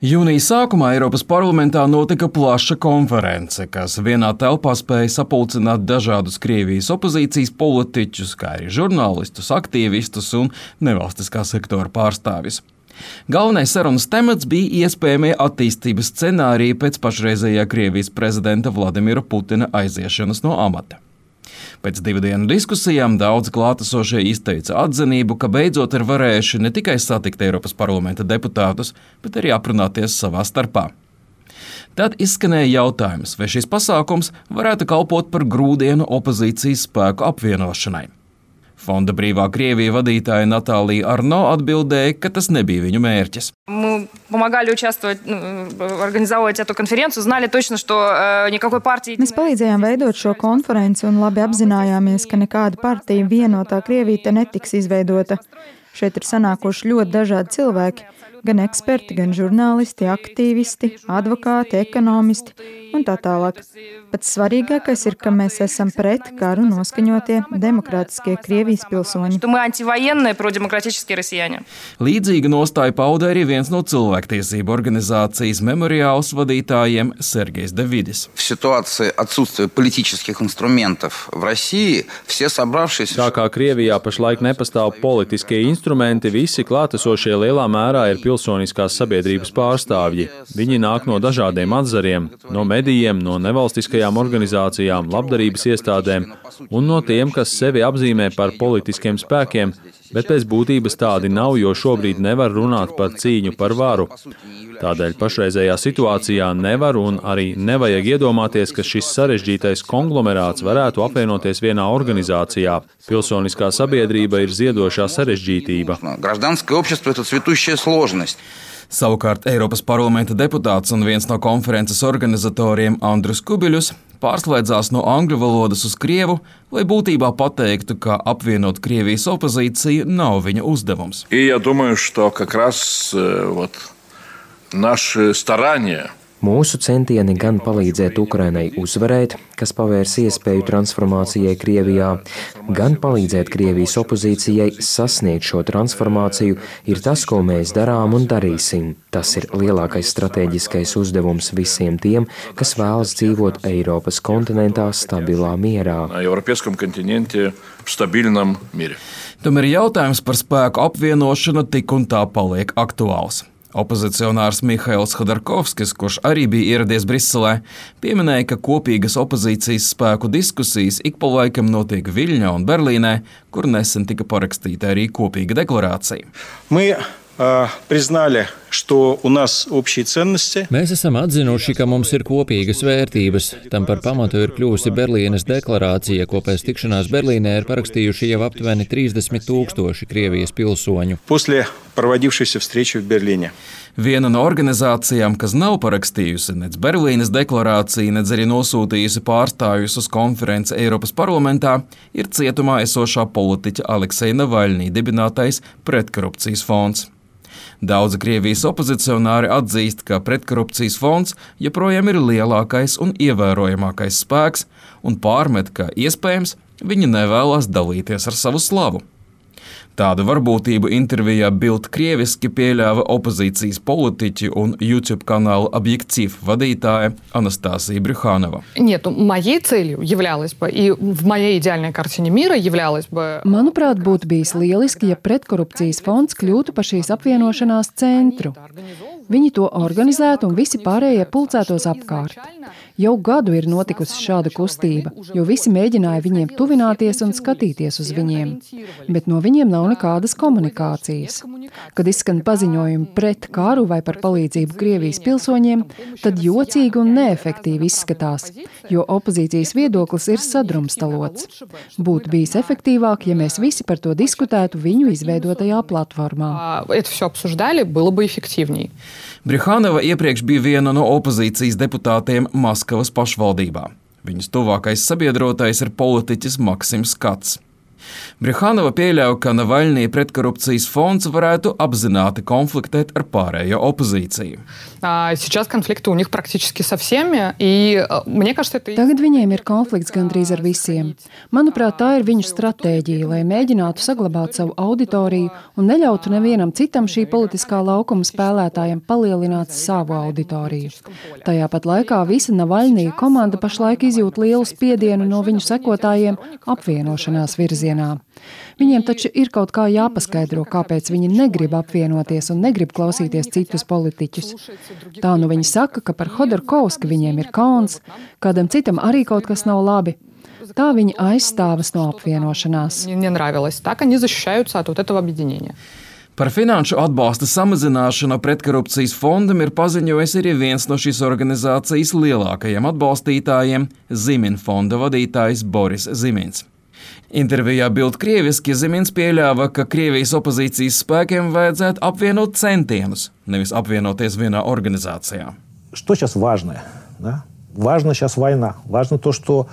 Jūnija sākumā Eiropas parlamentā notika plaša konference, kas vienā telpā spēja sapulcināt dažādus Krievijas opozīcijas politiķus, kā arī žurnālistus, aktīvistus un nevalstiskā sektora pārstāvjus. Galvenais sarunas temats bija iespējamie attīstības scenāriji pēc pašreizējā Krievijas prezidenta Vladimira Putina aiziešanas no amata. Pēc 2 dienu diskusijām daudzi klātesošie izteica atzinību, ka beidzot ir varējuši ne tikai satikt Eiropas parlamenta deputātus, bet arī aprunāties savā starpā. Tad izskanēja jautājums, vai šis pasākums varētu kalpot par grūdienu opozīcijas spēku apvienošanai. Fonda Brīvā Krievija vadītāja Natālija Arno atbildēja, ka tas nebija viņu mērķis. Mēs palīdzējām veidot šo konferenci un labi apzinājāmies, ka nekāda partija vienotā Krievija te netiks izveidota. Šeit ir sanākuši ļoti dažādi cilvēki, gan eksperti, gan žurnālisti, aktīvisti, advokāti, ekonomisti un tā tālāk. Pats svarīgākais ir, ka mēs esam pret karu noskaņotie demokrātiskie Krievijas pilsoņi. Līdzīga nostāja pauda arī viens no cilvēktiesību organizācijas Memoriāls vadītājiem Sergejs Davidis. Tā kā Krievijā pašlaik nepastāv politiskie instrumenti, visi klātesošie lielā mērā ir pilsoniskās sabiedrības pārstāvji. Viņi nāk no dažādiem atzariem, no medijiem, no nevalstiskajām organizācijām, labdarības iestādēm un no tiem, kas sevi apzīmē par politiskiem spēkiem, bet pēc būtības tādi nav, jo šobrīd nevar runāt par cīņu par varu. Tādēļ pašreizējā situācijā nevar un arī nevajag iedomāties, ka šis sarežģītais konglomerāts varētu apvienoties vienā organizācijā. Pilsoniskā sabiedrība ir ziedošā sarežģītība. Savukārt Eiropas parlamenta deputāts un viens no konferences organizatoriem Andrus Kubiļus pārslēdzās no angļu valodas uz krievu, lai būtībā pateiktu, ka apvienot Krievijas opozīciju nav viņa uzdevums. Mūsu centieni gan palīdzēt Ukrainai uzvarēt, kas pavērs iespēju transformācijai Krievijā, gan palīdzēt Krievijas opozīcijai sasniegt šo transformāciju, ir tas, ko mēs darām un darīsim. Tas ir lielākais strateģiskais uzdevums visiem tiem, kas vēlas dzīvot Eiropas kontinentā stabilā mierā. Tomēr jautājums par spēku apvienošanu tik un tā paliek aktuāls. Opozicionārs Mihails Khodorkovskis, kurš arī bija ieradies Briselē, pieminēja, ka kopīgas opozīcijas spēku diskusijas ik pa laikam notiek Viļņā un Berlīnē, kur nesen tika parakstīta arī kopīga deklarācija. Mēs esam atzinuši, ka mums ir kopīgas vērtības. Tam par pamatu ir kļuvusi Berlīnes deklarācija, ko pēc tikšanās Berlīnē ir parakstījuši jau aptuveni 30,000 Krievijas pilsoņu. Viena no organizācijām, kas nav parakstījusi nec Berlīnes deklarāciju, nec arī nosūtījusi pārstāvjus uz konferenci Eiropas parlamentā, ir cietumā esošā politiķa Alekseja Navaļnī dibinātais Pretkorupcijas fonds. Daudzi Krievijas opozicionāri atzīst, ka Pretkorupcijas fonds joprojām ir lielākais un ievērojamākais spēks un pārmet, ka iespējams viņi nevēlas dalīties ar savu slavu. Tādu varbūtību intervijā Bild krieviski pieļāva opozīcijas politiķi un YouTube kanāla Objektīv vadītāja Anastasija Brjuhanova. Manuprāt, būtu bijis lieliski, ja Pretkorupcijas fonds kļūtu par šīs apvienošanās centru. Viņi to organizētu un visi pārējie pulcētos apkārt. Jau gadu ir notikusi šāda kustība, jo visi mēģināja viņiem tuvināties un skatīties uz viņiem, bet no viņiem nav nekādas komunikācijas. Kad izskan paziņojumi pret karu vai par palīdzību Krievijas pilsoņiem, tad jocīgi un neefektīvi izskatās, jo opozīcijas viedoklis ir sadrumstalots. Būtu bijis efektīvāk, ja mēs visi par to diskutētu viņu izveidotajā platformā. Brjuhanova iepriekš bija viena no opozīcijas deputātiem Maskavas pašvaldībā. Viņas tuvākais sabiedrotais ir politiķis Maksims Kats. Brjuhanova pieļauj, ka Navaļnija pretkorupcijas fonds varētu apzināti konfliktēt ar pārējo opozīciju. Tagad viņiem ir konflikts gandrīz ar visiem. Manuprāt, tā ir viņu stratēģija, lai mēģinātu saglabāt savu auditoriju un neļautu nevienam citam šī politiskā laukuma spēlētājiem palielināt savu auditoriju. Tajā pat laikā visa Navaļnija komanda pašlaik izjūt lielu spiedienu no viņu sekotājiem apvienošanās virzienā. Viņiem taču ir kaut kā jāpaskaidro, kāpēc viņi negrib apvienoties un negrib klausīties citus politiķus. Tā nu viņi saka, ka par Hodorkovski viņiem ir kauns, kādam citam arī kaut kas nav labi. Tā viņi aizstāvas no apvienošanās. Par finanšu atbalsta samazināšanu pretkorupcijas fondam ir paziņojis arī viens no šīs organizācijas lielākajiem atbalstītājiem – Zimin fonda vadītājs Boris Zimins. Intervijā Bild krieviski Zimins pieļāva, ka Krievijas opozīcijas spēkiem vajadzētu apvienot centienus, nevis apvienoties vienā organizācijā. Что сейчас важное, да? Важна сейчас война. Важно то, что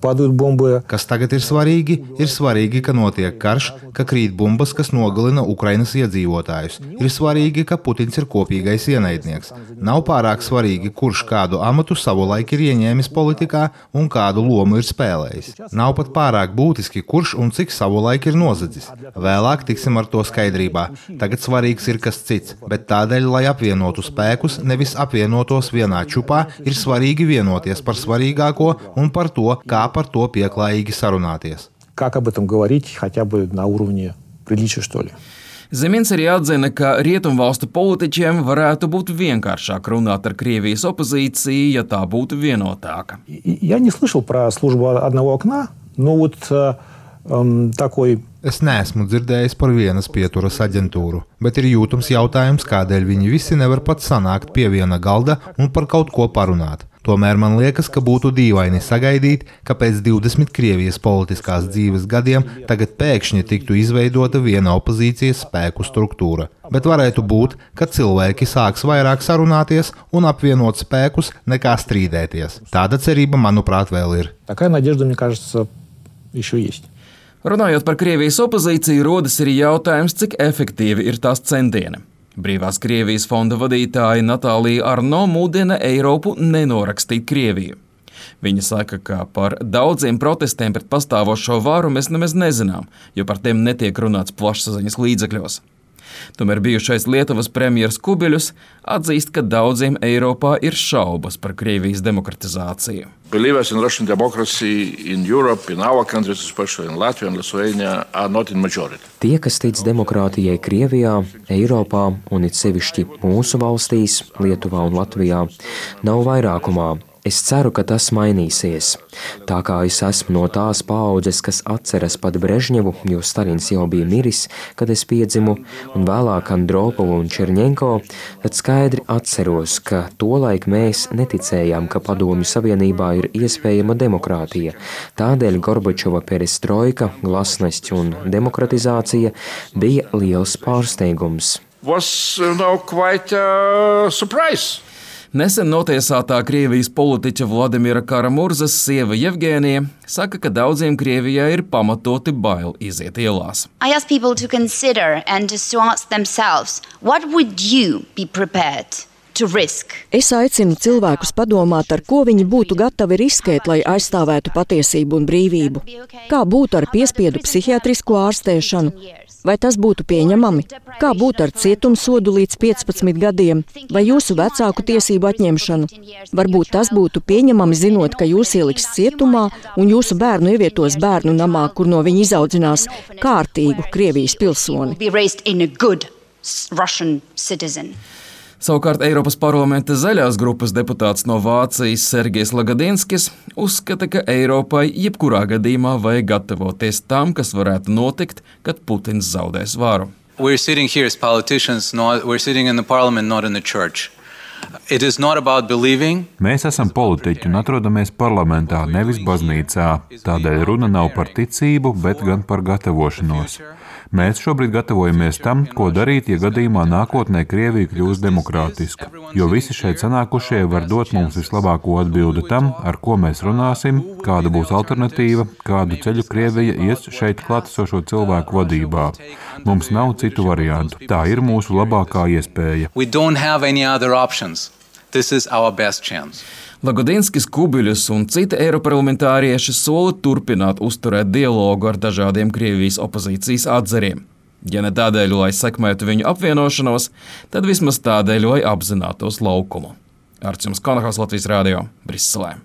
падают бомбы. Kas tagad ir svarīgi, ka notiek karš, ka krīt bumbas, kas nogalina Ukrainas iedzīvotājus. Ir svarīgi, ka Putins ir kopīgais ienaidnieks. Nav pārāk svarīgi, kurš kādu amatu savulaik ir ieņēmis politikā un kādu lomu ir spēlējis. Nav pat pārāk būtiski, kurš un cik savulaik ir nozadzis. Vēlāk tiksim ar to skaidrībā. Tagad svarīgs ir kas cits, bet tādēļ, lai apvienotu spēkus, nevis apvienotos vienā čupā, ir svarīgi vienoties par svarīgāko un par to, kā par to pieklājīgi sarunāties. Как об этом говорить, хотя бы на уровне приличия, что ли? Zimins arī atzina, ka rietumvalstu politiķiem varētu būt vienkāršāk runāt ar Krievijas opozīciju, ja tā būtu vienotāka. Я не слышал про службу одного окна, но вот такой... Es neesmu dzirdējis par vienas pieturas aģentūru, bet ir jūtams jautājums, kādēļ viņi visi nevar pat sanākt pie viena galda un par kaut ko parunāt. Tomēr man liekas, ka būtu dīvaini sagaidīt, ka pēc 20 Krievijas politiskās dzīves gadiem tagad pēkšņi tiktu izveidota viena opozīcijas spēku struktūra. Bet varētu būt, ka cilvēki sāks vairāk sarunāties un apvienot spēkus nekā strīdēties. Tāda cerība, manuprāt, vēl ir. Такая надежда, мне кажется, еще есть. Runājot par Krievijas opozīciju, rodas arī jautājums, cik efektīvi ir tās centieni. Brīvās Krievijas fonda vadītāja Natālija Arno mudina Eiropu nenorakstīt Krieviju. Viņa saka, ka par daudziem protestiem pret pastāvošo varu mēs nemaz nezinām, jo par tiem netiek runāts plašsaziņas līdzekļos. Tomēr bijušais Lietuvas premjers Kubiļus atzīst, ka daudziem Eiropā ir šaubas par Krievijas demokratizāciju. Believers in Russian democracy in Europe, in our countries, especially in Latvia and Lithuania, are not in majority. Tie, kas tic demokrātijai Krievijā, Eiropā un it sevišķi mūsu valstīs, Lietuvā un Latvijā, nav vairākumā. Es ceru, ka tas mainīsies. Tā kā es esmu no tās paaudzes, kas atceras pat Brežņevu, jo Stalins jau bija miris, kad es piedzimu, un vēlāk Andropovu un Čerņenko, tad skaidri atceros, ka tolaik mēs neticējām, ka Padomju Savienībā ir iespējama demokrātija. Tādēļ Gorbačova perestroika, glasnests un demokratizācija bija liels pārsteigums. Was quite surprise. Nesen notiesātā Krievijas politiķa Vladimira Kara-Murzas sieva Jevgēnija saka, ka daudziem Krievijā ir pamatoti bail iziet ielās. I ask people to consider and to ask themselves, what would you be prepared to risk? Es aicinu cilvēkus padomāt, ar ko viņi būtu gatavi riskēt, lai aizstāvētu patiesību un brīvību. Kā būtu ar piespiedu psihiatrisko ārstēšanu? Vai tas būtu pieņemami? Kā būtu ar cietumsodu līdz 15 gadiem? Vai jūsu vecāku tiesību atņemšanu? Varbūt tas būtu pieņemami, zinot, ka jūs ieliks cietumā un jūsu bērnu ievietos bērnu namā, kur no viņa izaudzinās kārtīgu Krievijas pilsoni. Savukārt Eiropas parlamenta zaļās grupas deputāts no Vācijas Sergejs Lagadinskis uzskata, ka Eiropai jebkurā gadījumā vajag gatavoties tam, kas varētu notikt, kad Putins zaudēs varu. We're sitting here as politicians, we're sitting in the parliament, not in the church. It is not about believing. Mēs esam politiķi un atrodamies parlamentā, nevis baznīcā. Tādēļ runa nav par ticību, bet gan par gatavošanos. Mēs šobrīd gatavojamies tam, ko darīt, ja gadījumā nākotnē Krievija kļūs demokrātiska, jo visi šeit sanākušie var dot mums vislabāko atbildi tam, ar ko mēs runāsim, kāda būs alternatīva, kādu ceļu Krievija ies šeit klātesošo cilvēku vadībā. Mums nav citu variantu. Tā ir mūsu labākā iespēja. Lagodinskis, Kubiļus un citi eiroparlamentārieši sola turpināt uzturēt dialogu ar dažādiem Krievijas opozīcijas atzariem. Ja ne tādēļ, lai sekmētu viņu apvienošanos, tad vismaz tādēļ, lai apzinātos laukumu. Artjums Konahovs, Latvijas Rādio, Briselē.